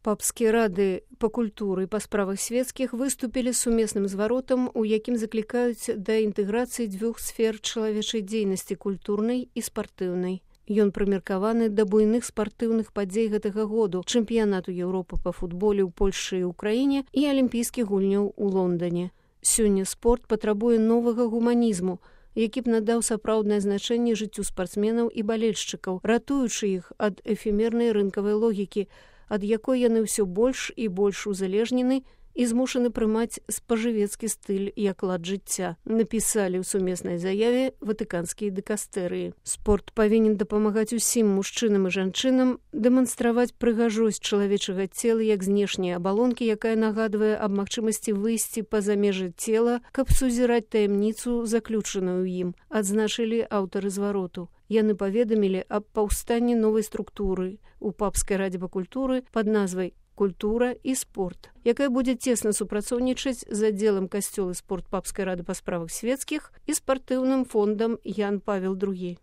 Папскія рады па культуры і па справах свецкіх выступілі сумесным зваротам, у якім заклікаюць да інтэграцыі дзвюх сфер чалавечай дзейнасці культурнай і спартыўнай. Ён прымеркаваны да буйных спартыўных падзей гэтага году, чэмпіянату Еўропы па футболе ў Польшчы і ўкраіне і алімпійскіх гульняў у Лондане. Сёння спорт патрабуе новага гуманізму, які б надаў сапраўднае значэнне жыццю спартсменаў і балельшчыкаў, ратуючы іх ад эфемернай рынкавай логікі, ад якой яны ўсё больш і больш узалежнены і змушаны прымаць спажывецкі стыль як лад жыцця, напісалі ў сумеснай заяве ватыканскія дыкастэрыі. Спорт павінен дапамагаць усім мужчынам і жанчынам дэманстраваць прыгажосць чалавечага цела як знешняй абалонкі, якая нагадвае аб магчымасці выйсці па-за межы цела, каб сузіраць таямніцу, заключаную ў ім, адзначылі аўтары звароту. Яны паведамілі аб паўстанні новай структуры ў папскай радзе па культуры пад назвай «Культура і спорт», якая будзе цесна супрацоўнічаць з аддзелам касцёл і спорт папскай рады па справах свецкіх і спартыўным фондам Ян Павел II.